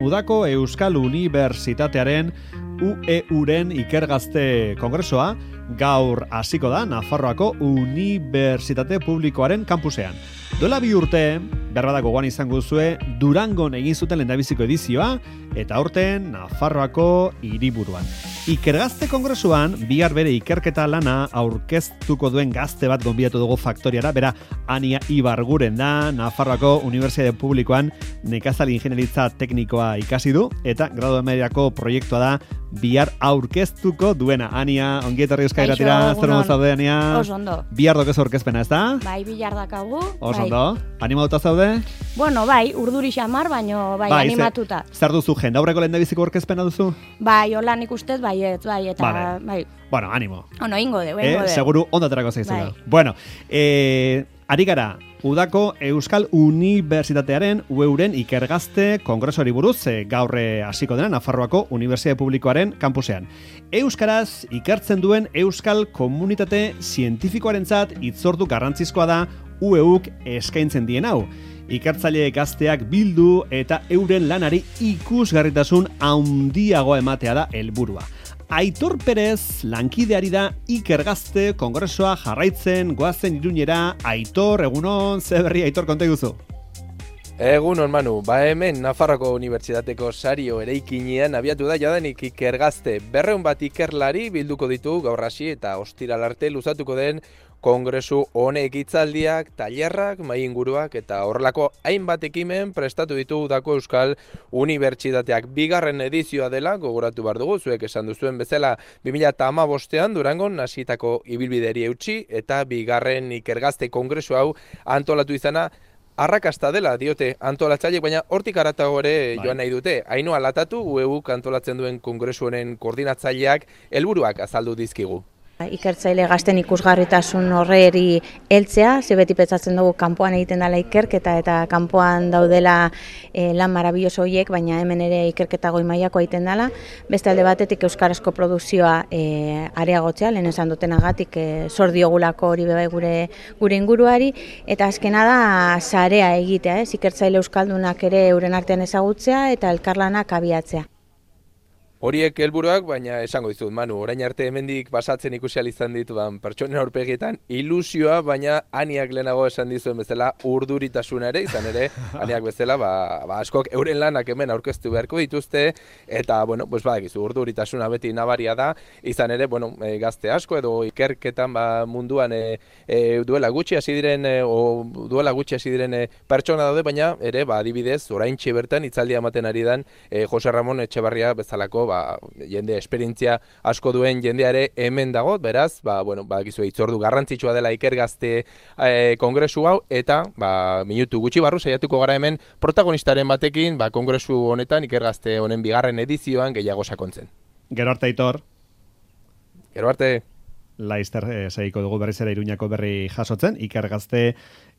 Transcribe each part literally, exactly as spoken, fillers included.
Udako Euskal Unibertsitatearen U E Uren ikergazte kongresua gaur hasiko da Nafarroako Unibertsitate Publikoaren kampusean. Duela bi urte, berbada gogoan izango duzue, Durangon egin zuten lehendabiziko edizioa, eta aurten Nafarroako hiriburuan. Ikergazte kongresuan, bihar bere ikerketa lana aurkeztuko duen gazte bat gonbidatu dugu faktoriara, bera Ania Ibarguren da, Nafarroako Unibertsitate Publikoan nekazal ingenieritza teknikoa ikasi du, eta gradu mediako proiektua da bihar aurkeztuko duena. Ania, ongi etorri Euskal Irratira, zer modu zaude, Ania? Oso ondo. Bihar dokez aurkezpena, ez da? Bai, bihar dakagu. Oso ondo. Animatuta zaude? Bueno, bai, urduri xamar, baino bai, bai animatuta. Zer, zer duzu, jendaurreko lehendabiziko aurkezpena duzu? Bai, hola nik ustez, bai, ez, bai, eta vale. bai. Bueno, animo. Ono, ingo de, ingo eh, de. Seguru ondo aterako zaizula. Bai. Bueno, eh, ari gara, Udako Euskal Unibertsitatearen U E Uren ikergazte kongresuari buruz e, gaur hasiko dena Nafarroako Unibertsitate Publikoaren kampusean. Euskaraz ikertzen duen euskal komunitate zientifikoarentzat hitzordu garrantzizkoa da U E Uk eskaintzen dien hau. Ikertzaile gazteak bildu eta euren lanari ikusgarritasun handiagoa ematea da helburua. Aitor Perez lankideari da ikergazte kongresua jarraitzen goazen Iruñera. Aitor, egunon, ze berri Aitor konta iguzu? Egunon, Manu, ba hemen Nafarroako Unibertsitateko sario eraikinean abiatu da jadanik ikergazte berreun bat ikerlari bilduko ditu gaur hasi eta ostiral arte luzatuko den kongresu honek hitzaldiak, tailerrak, mahai inguruak eta horrelako hainbat ekimen prestatu ditu Udako Euskal Unibertsitateak. Bigarren edizioa dela, gogoratu behar dugu, zuek esan duzuen bezala bi mila hamabostean Durangon hasitako ibilbideri eutsi eta bigarren ikergazte kongresu hau antolatu izana arrakasta dela diote antolatzaileek, baina hortik haratago ere joan nahi dute. Ainhoa Latatu, U E Uk antolatzen duen kongresu honen koordinatzaileak helburuak azaldu dizkigu. Ikertzaile gazten ikusgarritasun horreri heltzea, ze beti pentsatzen dugu kanpoan egiten dela ikerketa eta kanpoan daudela e, lan marabilloso horiek, baina hemen ere ikerketa goi mailakoa egiten dela. Beste alde batetik euskarazko produkzioa e, areagotzea, lehen esan dutenagatik e, zor diogulako hori bebai gure gure inguruari, eta azkena da sarea egitea, ez? Ikertzaile euskaldunak ere euren artean ezagutzea eta elkarlanak abiatzea. Horiek helburuak, baina esango dizut, Manu, orain arte hemendik basatzen ikusi ahal izan ditudan pertsonen aurpegietan ilusioa, baina Aniak lehenago esan dizuen bezala urduritasuna ere, izan ere, Aniak bezala, ba, ba askok euren lanak hemen aurkeztu beharko dituzte, eta, bueno, pues badakizu, urduritasuna beti nabaria da, izan ere, bueno, e, gazte asko edo ikerketan ba, munduan e, e, duela gutxi hasi diren, e, o duela gutxi hasi diren e, pertsona daude, baina ere, ba, adibidez, oraintxe bertan hitzaldia ematen ari dan e, Jose Ramon Etxebarria bezalako, ba, jende esperientzia asko duen jendeare hemen dago, beraz, ba, bueno, ba, gizu, hitzordu garrantzitsua dela ikergazte e, kongresu hau, eta, ba, minutu gutxi barru saiatuko gara hemen protagonistaren batekin, ba, kongresu honetan, ikergazte honen bigarren edizioan gehiago sakontzen. Gero arte, Aitor. Gero arte. Laizter e, segiko dugu berriz ere Iruñako berri jasotzen, ikergazte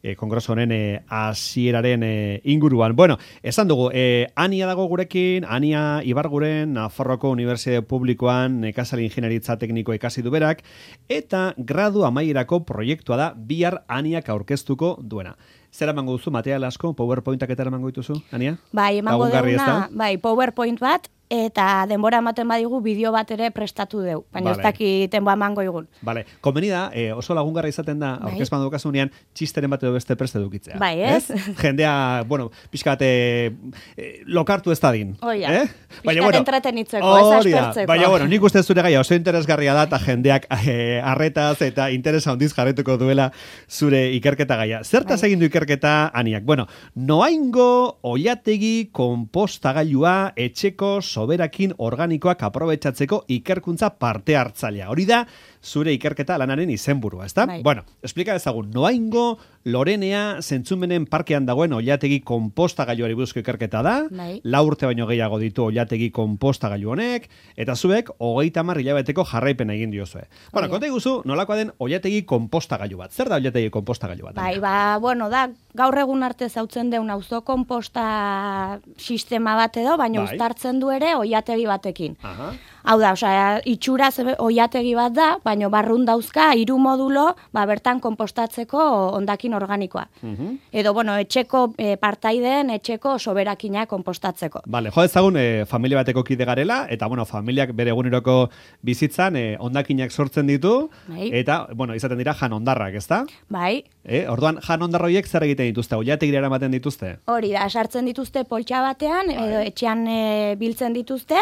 e, kongresu honen hasieraren e, inguruan. Bueno, esan dugu, e, Ania dago gurekin, Ania Ibarguren, Nafarroako Unibertsitate Publikoan nekazal ingenieritza tekniko ikasi du berak, eta gradu amaierako proiektua da bihar Aniak aurkeztuko duena. Zer emango duzu, material asko, PowerPointak eta emango dituzu, Ania? Bai, emango duguna, bai, PowerPoint bat, eta denbora ematen badigu bideo bat ere prestatu deu, baina vale. Ez dakiten ba emango igun. Vale, komeni da, eh, oso lagungarra izaten da, bai. Aurkezpan dukasunean, txisteren bat edo beste preste dukitzea. Bai, ez? ez? Jendea, bueno, pixka bat eh, lokartu ez dadin. Oia, eh? pixka bueno, entretenitzeko, ez aspertzeko. Baina, bueno, nik uste zure gaia oso interesgarria da, eta jendeak eh, arretaz eta interesa handiz jarretuko duela zure ikerketa gaia. Zertaz bai. Egin du ikerketa, Aniak? Bueno, noaingo oilategi konpostagailua etxeko soberakin organikoak aprobetxatzeko ikerkuntza parte hartzailea. Hori da, zure ikerketa lanaren izenburua, ezta? Bai. Bueno, explika ezagun, noaingo Lorenea zentzumenen parkean dagoen oilategi konpostagailuari buruzko ikerketa da, bai. Lau urte baino gehiago ditu oilategi konpostagailu honek, eta zuek hogeita hamar hilabeteko jarraipena egin diozue. Bueno, konta iguzu, nolakoa den oilategi konpostagailu bat. Zer da oilategi konpostagailu bat? Bai, ba, bueno, da, gaur egun arte zautzen deun auzo konposta sistema bat edo, baina bai. Uztartzen du ere oilategi batekin. Aha. Hau da, osea, itxura oiategi bat da, baina barrun dauzka hiru modulo, ba, bertan konpostatzeko hondakin organikoa. Uh-huh. Edo, bueno, etxeko e, partaideen, etxeko soberakina konpostatzeko. Vale, jo ezagun, e, familia bateko kide garela, eta, bueno, familiak bere eguneroko bizitzan e, hondakinak sortzen ditu, bai. Eta, bueno, izaten dira jan hondarrak, ezta? Bai. E, orduan, jan hondarra horiek zer egiten dituzte, oiategira eramaten dituzte? Hori da, sartzen dituzte poltsa batean, bai. Edo etxean e, biltzen dituzte,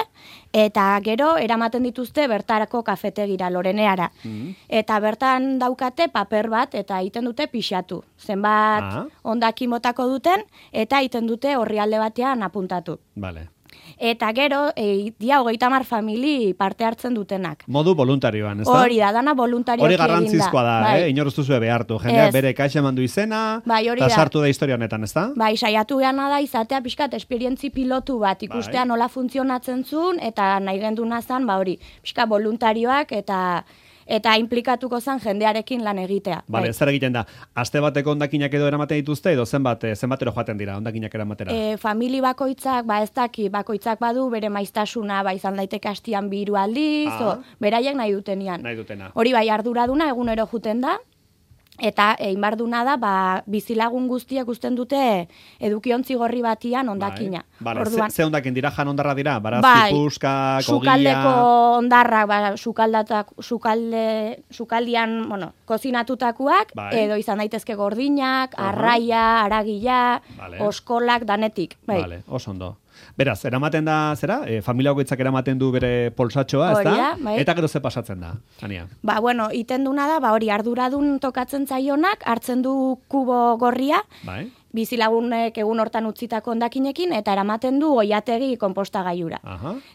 eta gero eramaten dituzte bertarako kafetegira, Loreneara. Mm-hmm. Eta bertan daukate paper bat eta egiten dute pixatu. Zenbat ah. hondakin botako duten eta egiten dute orrialde batean apuntatu. Vale. Eta gero, e, dia hogeita hamar famili parte hartzen dutenak. Modu voluntarioan, ez da? Hori da, dana voluntarioki egin da. Hori garrantzizkoa da, bai. eh? Inor ez duzue behartu. Jendeak bere kaixa emandu izena, bai, eta sartu da historia honetan, ez da? Bai, saiatu gana da izatea pixkat esperientzi pilotu bat, ikustea bai. Nola funtzionatzen zuen, eta nahi genduna zan, ba hori, pixka voluntarioak eta... eta implikatuko zen jendearekin lan egitea. Bale, bai. Zer egiten da? Aste bateko hondakinak edo eramaten dituzte, edo zenbat, zenbatero joaten dira hondakinak eramatera? E, famili bakoitzak, ba ez daki, bakoitzak badu bere maiztasuna, ba izan daiteke astian bi hiru aldiz, ah. beraiek nahi dutenian. Nahi dutena. Hori bai, arduraduna egunero juten da, eta egin barduna da, ba, bizilagun guztiek usten dute edukiontzi gorri batian hondakina. Bai. Vale. Orduan, ze, ze hondakin dira, jan hondarra dira? Barazki, bai, puskak, ogia... Sukaldeko hondarrak, ba, sukaldatak, sukalde, sukaldian, bueno, kozinatutakoak, bai. Edo izan daitezke gordinak, uh-huh. arraia, aragila, vale. Oskolak, danetik. Bai. Vale, oso ondo. Beraz, eramaten da, zera? E, familia goitzak eramaten du bere polsatxoa, ez da? Bai. Eta gero ze pasatzen da, Ania? Ba, bueno, iten duna da, ba, hori arduradun tokatzen zaionak, hartzen du kubo gorria, bai. Bizilagunek egun hortan utzitako hondakinekin eta eramaten du oiategi konpostagaiura.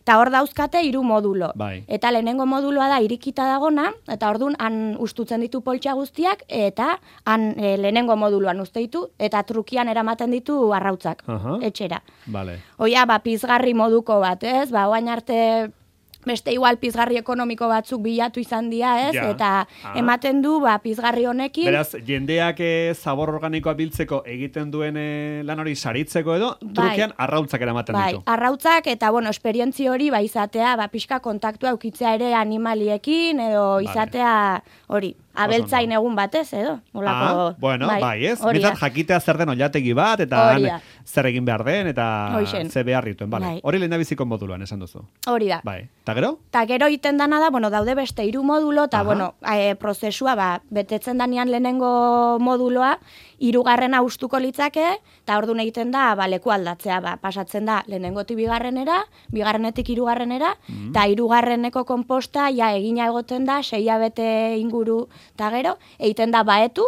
Eta hor dauzkate hiru modulo. Bai. Eta lehenengo moduloa da irikita dagona, eta ordun han ustutzen ditu poltsa guztiak, eta han e, lehenengo moduloan uste ditu, eta trukian eramaten ditu arrautzak, Aha. etxera. Vale. Oia, ba, pizgarri moduko bat, ez? Ba, oain arte... Beste igual pizgarri ekonomiko batzuk bilatu izan dira, ez? Ja. Eta ah. ematen du, ba, pizgarri honekin... Beraz, jendeak e, zabor organikoa biltzeko egiten duen e, lan hori saritzeko edo, bai. Trukean arrautzak eramaten bai. ditu. Arrautzak eta, bueno, esperientzi hori, ba, izatea, ba, pixka kontaktua eukitzea ere animaliekin, edo izatea hori... Abeltzain egun batez, edo? Olako, ah, bueno, bai, bai ez? Bizat jakitea zer den oilategi bat, eta zer egin behar den, eta Hoixen. Ze behar dituen, bale. Bai. Hori lehen da biziko moduloan, esan duzu. Hori da. Bai. Ta gero? Ta gero iten dana da, bueno, daude beste hiru modulo, eta, bueno, e, prozesua, ba, betetzen danean lehenengo moduloa, hirugarrena ustuko litzake, eta orduan egiten da, ba, leku aldatzea, ba, pasatzen da lehenengotik bigarrenera, bigarrenetik hirugarrenera, eta mm-hmm. hirugarreneko konposta, ja, egina egoten da, sei hilabete inguru, eta gero, egiten da baetu,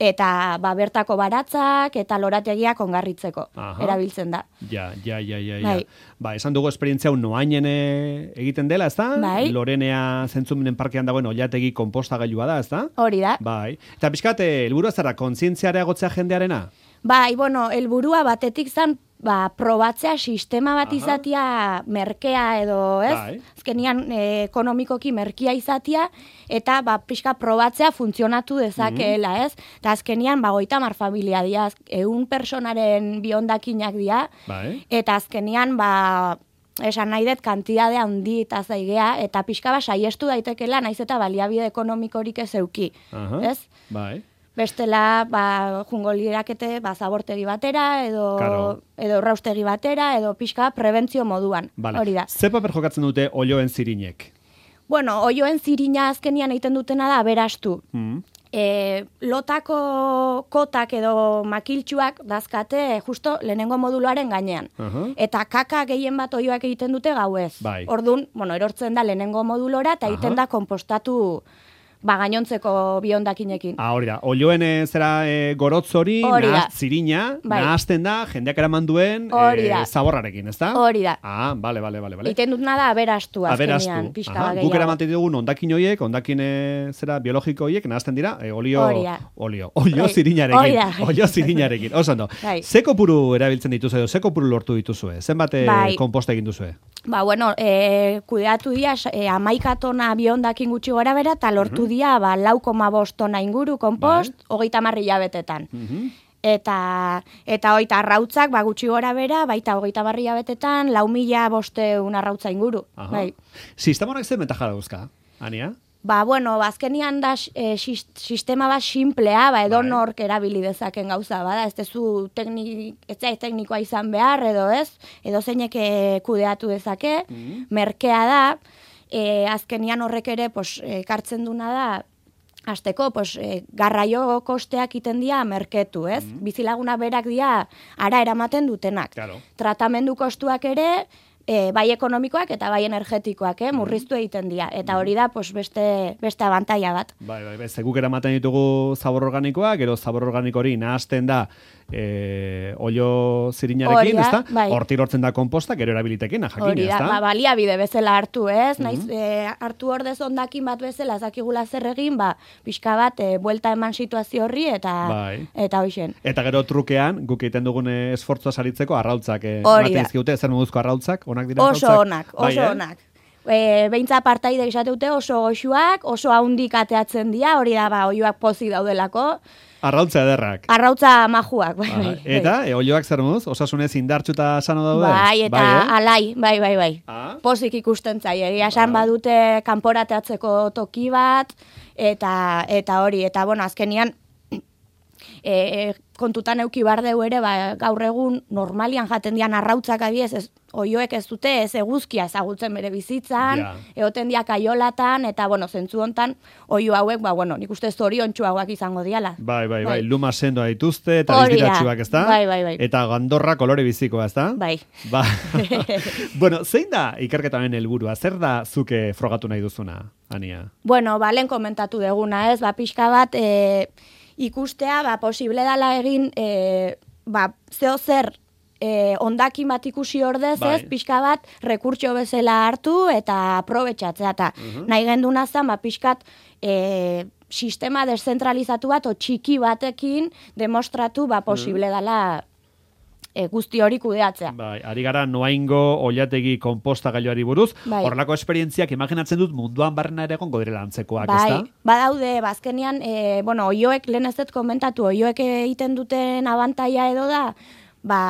eta ba, bertako baratzak eta lorategiak ongarritzeko Aha. erabiltzen da. Ja, ja, ja, ja. Bai. ja. Ba, esan dugu esperientzia hau noainen egiten dela, ez da? Bai. Lorenea zentzumenen parkean dagoen oiategi konpostagailua da, ez da? Hori da. Bai. Eta pixkat, helburua zara, kontzientziarea egotzea jendearena? Bai, bueno, helburua batetik zan, ba, probatzea sistema bat izatia merkea edo, ez? Bai. Azkenian e, ekonomikoki merkia izatia, eta ba, pixka probatzea funtzionatu dezakeela, mm-hmm. ez? Eta azkenian, ba, goita mar familia dira, eun personaren biondakinak dira, bai. Eta azkenian, ba, esan nahi dut, kantidade handi eta zaigea, eta pixka ba, saiestu daitekela, naiz eta baliabide ekonomikorik ez euki, Aha. ez? Bai. Bestela, ba, jungo lirakete, ba, zabortegi batera, edo, edo erraustegi batera, edo pixka prebentzio moduan. Vale. Hori da. Ze paper jokatzen dute olioen zirinek? Bueno, olioen zirina azkenian egiten dutena da aberastu. Mm. E, lotako kotak edo makiltxuak dazkate justo lehenengo moduluaren gainean. Uh-huh. Eta kaka gehien bat olioak egiten dute gauez. Bai. Ordun, bueno, erortzen da lehenengo modulora eta egiten uh-huh. da konpostatu... Ba, gainontzeko biondakinekin. Ah, hori da. Olioen zera e, gorotz hori, nahazt zirina, bai. Nahazten da, jendeak eraman duen e, zaborrarekin, ez da? Hori da. Ah, bale, bale, bale. bale. Iten dut nada aberastu azkenean, pixka bageiago. Guk eramanten dugun ondakin horiek, ondakin zera biologiko horiek, nahazten dira, e, olio, olio, olio zirinarekin. Olio zirinarekin, oso ondo. Ze kopuru erabiltzen dituzue edo, ze kopuru lortu dituzue? Zenbat bai. Konposta egin duzue? Ba, bueno, e, kudeatu dira, e, amaika tona biondakin gutxi gora bera, eta lortu uh-huh. dia, ba, lau koma bost tona inguru, kompost, bai. hogeita marri jabetetan. Uh-huh. eta eta hoita arrautzak, ba, gutxi gora bera, baita hogeita barria betetan, lau mila bosteun arrautza inguru. Bai. Sistema honek zen bentaja dauzka, Ania? Ba, bueno, azkenian da e, sistema bat simplea, ba, edo nork erabili dezaken gauza, bada, ez dezu teknik, ez zait teknikoa izan behar, edo ez, edo zeinek kudeatu dezake, mm. merkea da, e, azkenian horrek ere, pues, ekartzen duna da, hasteko, pues, e, garraio kosteak iten dira merketu, ez? Mm. Bizilaguna berak dira ara eramaten dutenak. Claro. Tratamendu kostuak ere, E, bai ekonomikoak eta bai energetikoak, eh, murriztu egiten dira. Eta hori da, pues, beste, beste abantaila bat. Bai, bai, bai, zeguk eramaten ditugu zabor organikoak, gero zabor organiko hori nahazten da e, olio zirinarekin, ezta? Bai. Hortik lortzen da komposta, gero erabilitekin, jakina, hori da, ba, baliabide bezala hartu, ez? Mm-hmm. Naiz, e, hartu ordez ondakin bat bezala, zakigula zer egin, ba, pixka bat, e, buelta eman situazio horri, eta bai. Eta hoixen. Eta gero trukean, guk egiten dugun esfortzua saritzeko, arrautzak, e, matizkiute, zer moduzko arrautzak, onak dira oso arrautzak? Onak, oso bai, onak. E, beintza partaide esateute oso goxuak, oso haundik ateatzen dira, hori da, ba, oioak pozik daudelako. Arrautza ederrak. Arrautza majuak, bai, bai. Eta, e, olioak zer moduz? Osasunez indartxu eta sano daude? Bai, eta bai, eh? alai, bai, bai, bai. Ah? Pozik ikusten zai, egia esan bai. Badute kanporateatzeko toki bat, eta, eta hori, eta bueno, azkenian, e, e, kontutan euki bardeu ere, ba, gaur egun normalian jaten dian arrautzak abiez, ez, oioek ez dute ez eguzkia ezagutzen bere bizitzan, ja. Egoten diak aiolatan, eta, bueno, zentzu hontan, oio hauek, ba, bueno, nik uste zoriontsuagoak izango diala. Bai, bai, bai, luma sendoa dituzte, eta biztiratxuak, ez da? Bai, bai, bai. Eta gandorra kolore bizikoa, ez da? Bai. Ba. Bueno, zein da ikerketaren helburua? Zer da zuke frogatu nahi duzuna, Ania? Bueno, ba, lehen komentatu deguna, ez? Ba, pixka bat, e, ikustea, ba, posible dala egin, e, ba, zeo zer, E, ondakin bat ikusi ordez, bai. Ez, pixka bat, rekurtxo bezala hartu eta aprobetxatzea. Eta uh-huh. nahi genduna zen, ba, pixkat, e, sistema deszentralizatu bat, o txiki batekin demostratu, ba, posible uh-huh. dela e, guzti hori kudeatzea. Bai, ari gara noaingo oilategi konposta gailuari buruz, bai. Horrelako esperientziak imaginatzen dut munduan barrena ere egongo direla antzekoak, bai. Ezta? Badaude, bazkenian, e, bueno, oioek, lehen ez dut komentatu, oioek egiten duten abantaia edo da, ba,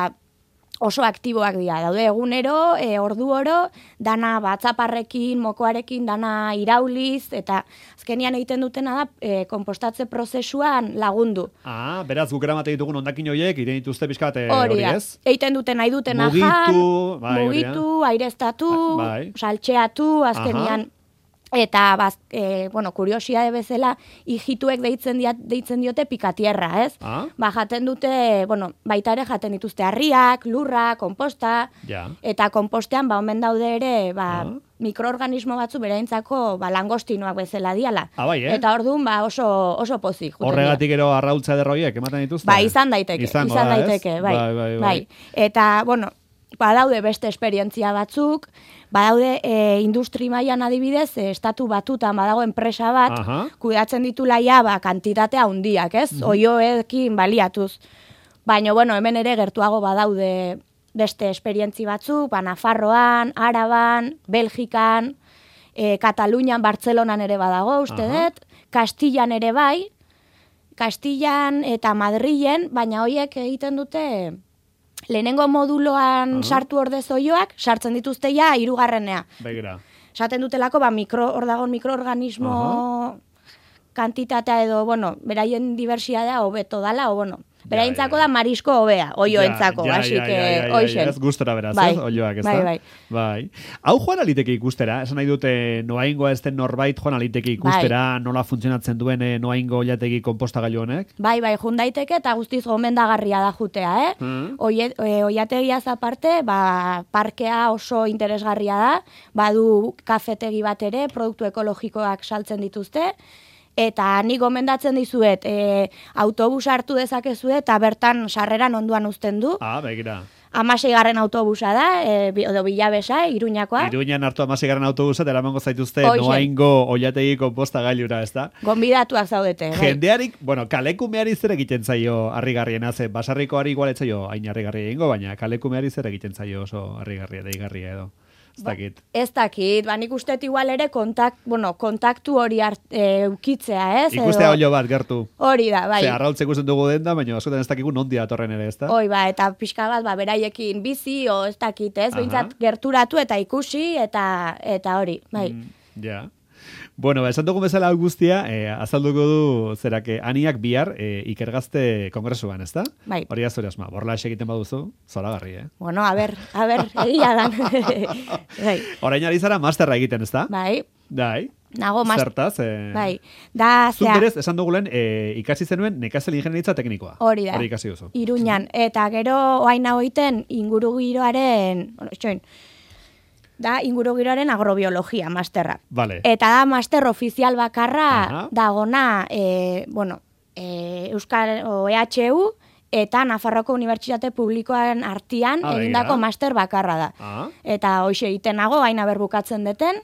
oso aktiboak dira, daude egunero, e, ordu oro, dana batzaparrekin, mokoarekin, dana irauliz, eta azkenian egiten dutena da, e, kompostatze prozesuan lagundu. Ah, beraz, guk eramate ditugun ondakin horiek, ire dituzte pixkat hori, ez? Egiten duten nahi dutena mugitu, jan, bai, mugitu, aireztatu, bai. Saltxeatu, azkenian, aha. Eta, baz, e, bueno, kuriosia bezala, hijituek deitzen, diat, deitzen diote pikatierra, ez? Ah? Ba, jaten dute, bueno, baita ere jaten dituzte harriak, lurra, komposta, ja. Eta kompostean, ba, omen daude ere, ba, ah? mikroorganismo batzu bereintzako, ba, langostinoak bezala diala. Ah, bai, eh? Eta orduan, ba, oso, oso pozik. Horregatik ero arraultza derroiek, ematen dituzte? Ba, izan daiteke, Izango izan da, daiteke, bai, bai, bai, bai. bai. Eta, bueno, badaude beste esperientzia batzuk, badaude e, industri mailan adibidez, e, estatu batutan badago enpresa bat, aha. Kudeatzen ditula ja, ba, kantitatea handiak, ez? Mm-hmm. Oioekin baliatuz. Baina, bueno, hemen ere gertuago badaude beste esperientzi batzuk, ba, Nafarroan, Araban, Belgikan, e, Katalunian, Bartzelonan ere badago, uste dut, Kastillan ere bai, Kastillan eta Madrilen, baina hoiek egiten dute lehenengo moduloan uh-huh. sartu ordez oioak, sartzen dituzte ja hirugarrenea. Begira. Esaten dutelako, ba, mikro, hor dago mikroorganismo uh-huh. kantitatea edo, bueno, beraien diversitatea hobeto dala, o, bueno, beraintzako ja, ja. Da marisko hobea, oioentzako, ja, ja, así ja, que, ja, ja, ja, hoixen. Ez gustora beraz, bai. Ez, oioak, ez bai, da? Bai, bai. Hau joan aliteke ikustera, esan nahi dute noaingoa ez den norbait joan aliteke ikustera, bai. Nola funtzionatzen duen noaingo oilategi konpostagailu honek? Bai, bai, jun daiteke eta guztiz gomendagarria da jutea, eh? Mm. Oie, oiategiaz aparte, ba, parkea oso interesgarria da, badu kafetegi bat ere, produktu ekologikoak saltzen dituzte, eta nik gomendatzen dizuet, e, autobus hartu dezakezue eta bertan sarreran onduan uzten du. Ah, begira. Amaseigarren autobusa da, e, edo bilabesa, Iruñakoa. Iruñan hartu amaseigarren autobusa, eta eramango zaituzte noaingo oilategi konposta gailura, ez da? Gonbidatuak zaudete. Bai. Jendearik, bueno, kalekumeari zer egiten zaio harrigarriena, ze basarrikoari igualetzaio hain harrigarria egingo, baina kalekumeari zer egiten zaio oso harrigarria, deigarria edo. ez dakit. Ez dakit, ba, nik uste igual ere kontakt, bueno, kontaktu hori eukitzea, ez? Ikustea olio bat, gertu. Hori da, bai. Ze, arraultze ikusten dugu den da, baina askotan ez dakigu nondia atorren ere, ez da? Hoi, ba, eta pixka bat, ba, beraiekin bizi, o ez dakit, ez? Behintzat gerturatu eta ikusi, eta eta hori, bai. Mm, ja. Bueno, ba, esan dugun bezala hau guztia, eh, azalduko du zerake aniak bihar eh, ikergazte kongresuan, ez da? Bai. Hori azure asma, borla egiten baduzu, zoragarri, eh? Bueno, a ber, a ber, egia dan. Bai. Orain ari zara masterra egiten, ez da? Bai. Bai. Nago mas... Zertaz, eh... Bai. Da, zuk zea... berez, esan dugulen, eh, ikasi zenuen nekazel ingenieritza teknikoa. Hori da. Hori ikasi duzu. Iruñan. Eta gero, oain hau egiten, inguru giroaren... Bueno, txoin, da ingurugiroaren agrobiologia masterra. Vale. Eta da master ofizial bakarra Aha. dagona e, bueno, e, Euskal o E H U eta Nafarroako Unibertsitate Publikoaren artean Ah, egindako begira. master bakarra da. Ah. Eta hoxe egiten nago, haina berbukatzen deten,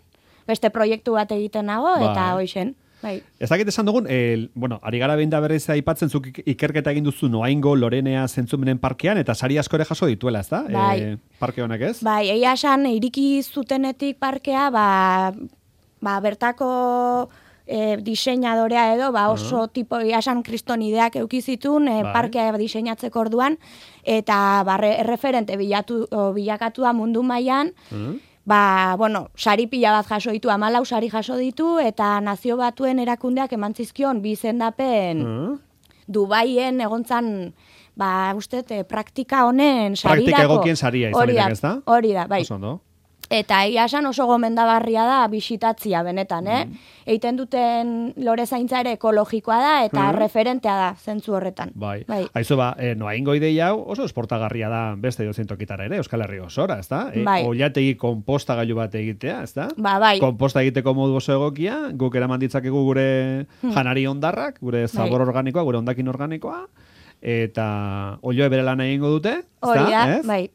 beste proiektu bat egiten nago, Bai. eta hoxen. Bai. Ez dakit esan dugun, el, bueno, ari gara behin da berriz aipatzen zuk ikerketa egin duzu Noaingo, Lorenea, Zentzumenen parkean, eta sari asko ere jaso dituela, ez da? Bai. E, parke honek ez? Bai, egia esan, iriki zutenetik parkea, ba, ba bertako e, diseinadorea edo, ba oso uh-huh. tipo, egia esan kristonideak eukizitun, e, Bai. parkea diseinatzeko orduan, eta ba, re, erreferente bilatu, o, bilakatu da mundu mailan, Uh-huh. ba, bueno, sari pila bat jaso ditu, amalau sari jaso ditu, eta nazio batuen erakundeak eman zizkion bi izendapen Uh-huh. Dubaien egontzan, ba, uste, e, praktika honen sarirako. Praktika egokien saria izan Hori da, daiteke, ez da? Hori da, bai. Oso ondo. Eta egia esan oso gomendagarria da bisitatzia benetan, eh? Mm. Eiten duten lore zaintza ere ekologikoa da eta Mm. referentea da zentzu horretan. Bai. Bai. Aizu ba, eh, Noaingo ideia hau oso esportagarria da beste dozein tokitara ere, Euskal Herri osora, ez da? E, Bai. Oilategi konpostagailu bat egitea, ez da? Ba, bai. Konposta egiteko modu oso egokia, guk eraman ditzakegu gure janari ondarrak, gure zabor organikoa, gure ondakin organikoa, eta olioe bere lan egingo dute, ez Hori da, ez? bai.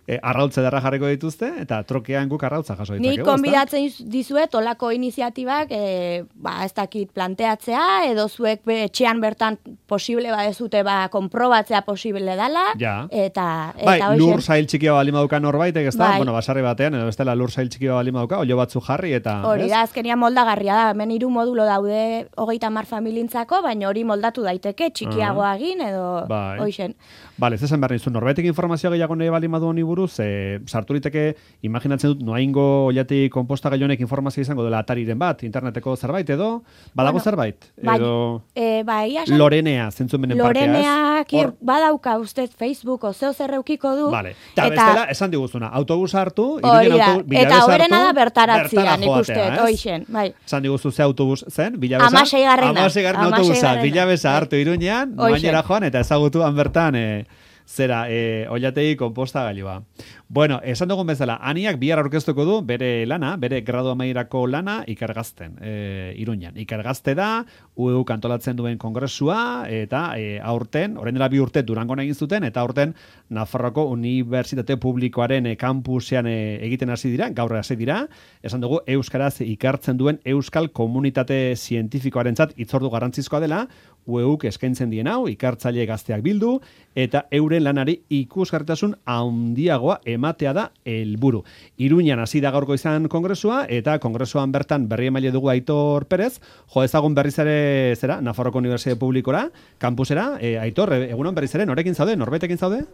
E, arrautze derra jarriko dituzte, eta trokean guk arrautza jaso ditzakegu, Nik konbidatzen dizuet olako iniziatibak, e, ba, ez dakit planteatzea, edo zuek be, etxean bertan posible badezute, ba, konprobatzea posible dela, Ja. eta, eta Bai, hoxen. lur zail txikia bali maduka norbaitek, ez da? Bai. Bueno, basarri batean, edo bestela lur zail txikia bali maduka, olio batzu jarri, eta... Hori ez? da, azkenian moldagarria da, hemen hiru modulo daude hogeita hamar familintzako, baina hori moldatu daiteke, txikiagoa egin, edo Bai. hoxen. Bale, zezen behar nizu, norbaitek informazio gehiago nahi bali madu honi buruz, e, sartu liteke, imaginatzen dut, Noaingo oiati konposta honek informazio izango dela atariren bat, interneteko zerbait edo, badago Bueno, zerbait? bai, Edo e, ba, egia esan, Lorenea, zentzumenen parkea, ez? Loreneak Hor- badauka ustez Facebook o zeo zer eukiko du. Vale. Eta bestela, esan diguzuna, autobusa hartu, hori Iruñen da, autobus, Bilabez eta horrena da hartu, bertaratzia, bertara nik uste, joatea, ez? hoixen, bai. Esan diguzu ze autobus zen, Bilabeza? Hamaseigarrena. Hamaseigarren autobusa, Hamaseigarrena. Bilabeza Bai. hartu Iruñean, Hoxe. Noainera joan, eta ezagutuan bertan, e, zera, e, oilategi konposta gailua. Bueno, esan dugun bezala, aniak bihar aurkeztuko du bere lana, bere gradu amaierako lana ikergazten, e, Iruñan. Ikergazte da, U E U kantolatzen duen kongresua, eta e, aurten, orain dela bi urte Durangon egin zuten, eta aurten Nafarroako Unibertsitate Publikoaren e, kampusean e, egiten hasi dira, gaur hasi dira, esan dugu euskaraz ikartzen duen euskal komunitate zientifikoarentzat hitzordu garrantzizkoa dela, U E Uk eskaintzen dien hau, ikartzaile gazteak bildu, eta euren lanari ikusgarritasun handiagoa ematea da helburu. Iruñan hasi da gaurko izan kongresua, eta kongresuan bertan berri emaile dugu Aitor Perez, jo ezagun berriz ere, zera, Nafarroko Unibertsitate Publikora, kampusera, e, Aitor, e, egunon berriz ere, norekin zaude, norbetekin zaude?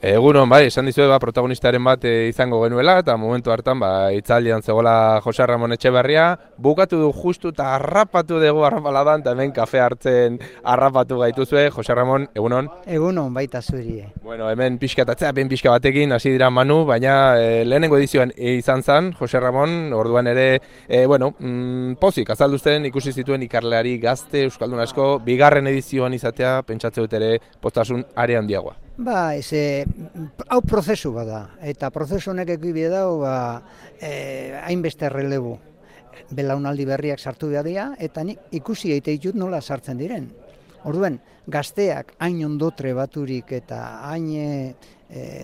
Egunon, bai, esan dizuet, ba, protagonistaren bat e, izango genuela, eta momentu hartan, ba, itzaldian zegoela Jose Ramon Etxeberria, bukatu du justu eta harrapatu dugu harrapaladan, eta hemen kafe hartzen harrapatu gaituzue. Jose Ramon, egunon? Egunon baita zurie. Bueno, hemen pixkatatzea, ben pixka batekin, hasi dira Manu, baina e, lehenengo edizioan e, izan zan, Jose Ramon, orduan ere, e, bueno, mm, pozik, azalduzten ikusi zituen ikarleari gazte, euskaldun asko, bigarren edizioan izatea, pentsatze dut ere, postasun are handiagoa. Ba, ez, e, hau prozesu bada, eta prozesu honek ekibide dau, ba, e, hainbeste relebu. Belaunaldi berriak sartu behar dira, eta nik ikusi eite ditut nola sartzen diren. Orduen, gazteak hain ondotre baturik eta hain e,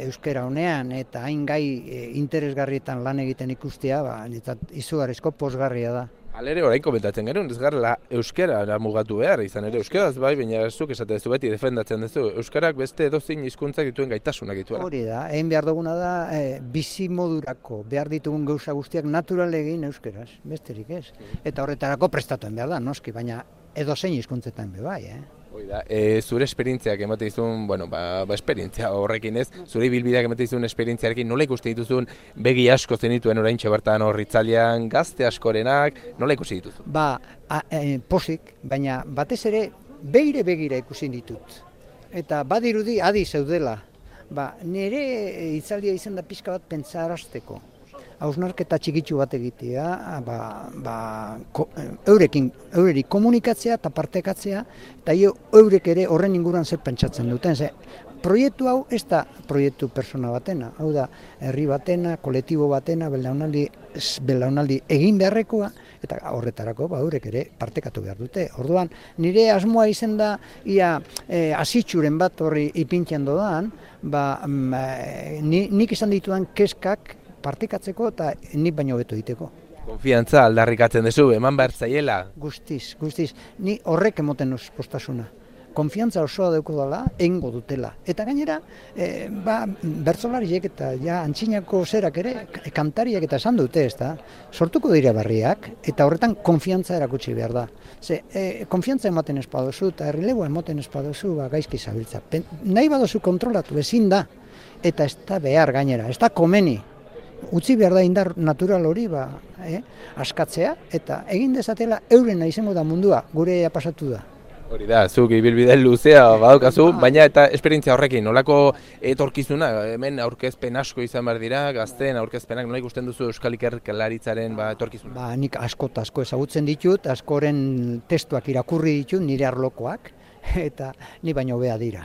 euskera honean eta hain gai e, interesgarrietan lan egiten ikustea, ba, eta izugarrizko posgarria da. Alere, orain komentatzen genuen, ez garela euskara mugatu behar, izan ere euskaraz bai, baina zuk esaten duzu beti defendatzen duzu, euskarak beste edozein hizkuntzak dituen gaitasunak dituela. Hori da, egin behar duguna da, e, bizi modurako behar ditugun gauza guztiak natural egin euskaraz, besterik ez. Eta horretarako prestatuen behar da, noski, baina edozein hizkuntzetan be bai, eh? Hoi da, e, zure esperientziak ematen dizun, bueno, ba, ba esperientzia horrekin ez, zure ibilbideak ematen dizun esperientziarekin, nola ikusten dituzun begi asko zenituen oraintxe bertan hor Hitzaldian, gazte askorenak, nola ikusi dituzu? Ba, a, e, posik, baina batez ere begire begira ikusi ditut. Eta badirudi adi zeudela. Ba, nire hitzaldia izan da pixka bat pentsarazteko. Hausnarketa txikitsu bat egitea, ba, ba, ko, eurekin, eureri komunikatzea eta partekatzea, eta eurek ere horren inguruan zer pentsatzen duten. Ze, proiektu hau ez da proiektu persona batena, hau da herri batena, kolektibo batena, belaunaldi, belaunaldi egin beharrekoa, eta horretarako ba, eurek ere partekatu behar dute. Orduan, nire asmoa izen da, ia e, asitxuren bat horri ipintxan dodan, ba, mm, ni, nik izan ditudan keskak, partekatzeko eta nik baino beto egiteko. Konfiantza aldarrikatzen duzu, eman behar zaiela? Guztiz, guztiz. Ni horrek emoten uz postasuna. Konfiantza osoa dauko dela, egingo dutela. Eta gainera, e, ba, bertsolariek eta ja antzinako zerak ere, kantariak eta esan dute, ez da, sortuko dira barriak, eta horretan konfiantza erakutsi behar da. Ze, e, konfiantza ematen espadozu, eta errilegoa ematen espadozu, ba, gaizki zabiltza. Pen, nahi badozu kontrolatu, ezin da, eta ez da behar gainera, ez da komeni. Utzi behar da indar natural hori ba, eh, askatzea, eta egin dezatela eurena izango da mundua, gure pasatu da. Hori da, zuk ibilbide luzea badaukazu, baina eta esperientzia horrekin, nolako etorkizuna, hemen aurkezpen asko izan behar dira, gazteen aurkezpenak, nola ikusten duzu Euskal Ikerlaritzaren ba, etorkizuna? Ba, nik asko eta asko ezagutzen ditut, askoren testuak irakurri ditut, nire arlokoak, eta ni baino hobea dira.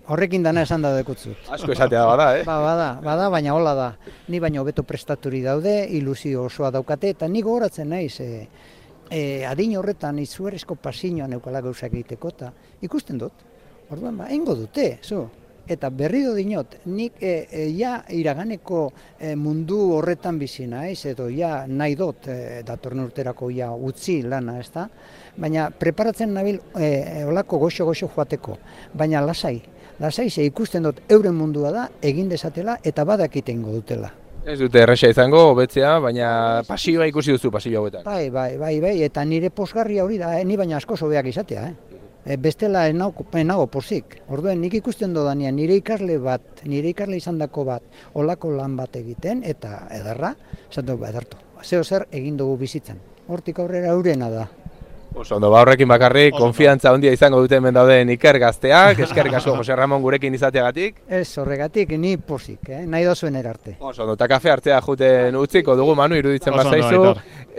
Horrekin dana esan da dekutzut. Asko esatea bada, eh? Ba, bada, bada, baina hola da. Ni baino beto prestaturi daude, ilusio osoa daukate, eta ni gogoratzen naiz, e, e, adin horretan izugarrizko pasioa neukala gauzak egiteko, eta ikusten dut. Orduan, ba, eingo dute, zu. Eta berriro dinot, nik e, e, ja iraganeko e, mundu horretan bizi naiz, edo ja nahi dut e, datorren urterako ja utzi lana, ez da? Baina preparatzen nabil e, olako goxo-goxo joateko, baina lasai. Lasai ze ikusten dut euren mundua da, egin dezatela eta badakiten dutela. Ez dute erresa izango, hobetzea, baina pasioa ikusi duzu pasio hauetan. Bai, bai, bai, bai, eta nire posgarria hori da, eh? Ni baina asko hobeak izatea, eh? E, bestela enago posik. Orduen nik ikusten dodanean nire ikasle bat, nire ikasle izandako bat, olako lan bat egiten, eta edarra, esan dugu, edartu. Zeo zer egin dugu bizitzen. Hortik aurrera eurena da. Oso ondo, ba horrekin bakarrik, konfiantza handia izango dute hemen dauden Iker gazteak, eskerrik asko Jose Ramon gurekin izateagatik. Ez, horregatik, ni posik, eh? Nahi dozuen erarte. Oso ondo, eta kafe hartzea juten utziko dugu, Manu, iruditzen bazaizu.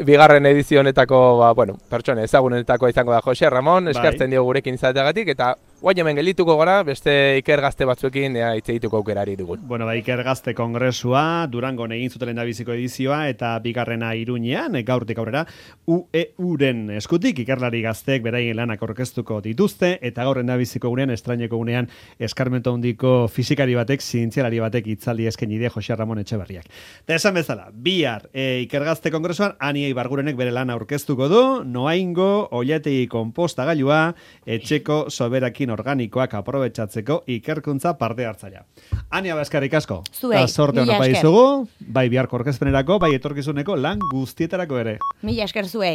Bigarren edizio honetako, ba, bueno, pertsone ezagunetako izango da Jose Ramon, eskertzen dio gurekin izateagatik, eta guai hemen gelituko gara, beste Iker gazte batzuekin ea hitz egituko aukerari dugun. Bueno, ba, Iker gazte kongresua, Durangon egin zuten lehendabiziko edizioa, eta bigarrena Iruñean, gaurtik aurrera, U E U-ren eskutik, ikerlari gazteek beraien lanak aurkeztuko dituzte, eta gaur lehendabiziko gunean, estraineko gunean, eskarmento handiko fizikari batek, zientzialari batek hitzaldi eskaini die Jose Ramon Etxeberriak. Eta esan bezala, bihar e, Iker gazte kongresuan, Aniei Bargurenek bere lana aurkeztuko du, noaingo, oilategi konpostagailua, etxeko soberakin organikoak aprobetxatzeko ikerkuntza parte hartzailea. Ania Baskarrik asko. Zuei, sorte ona bai zugu, bai biharko aurkezpenerako, bai etorkizuneko lan guztietarako ere. Mila esker zuei.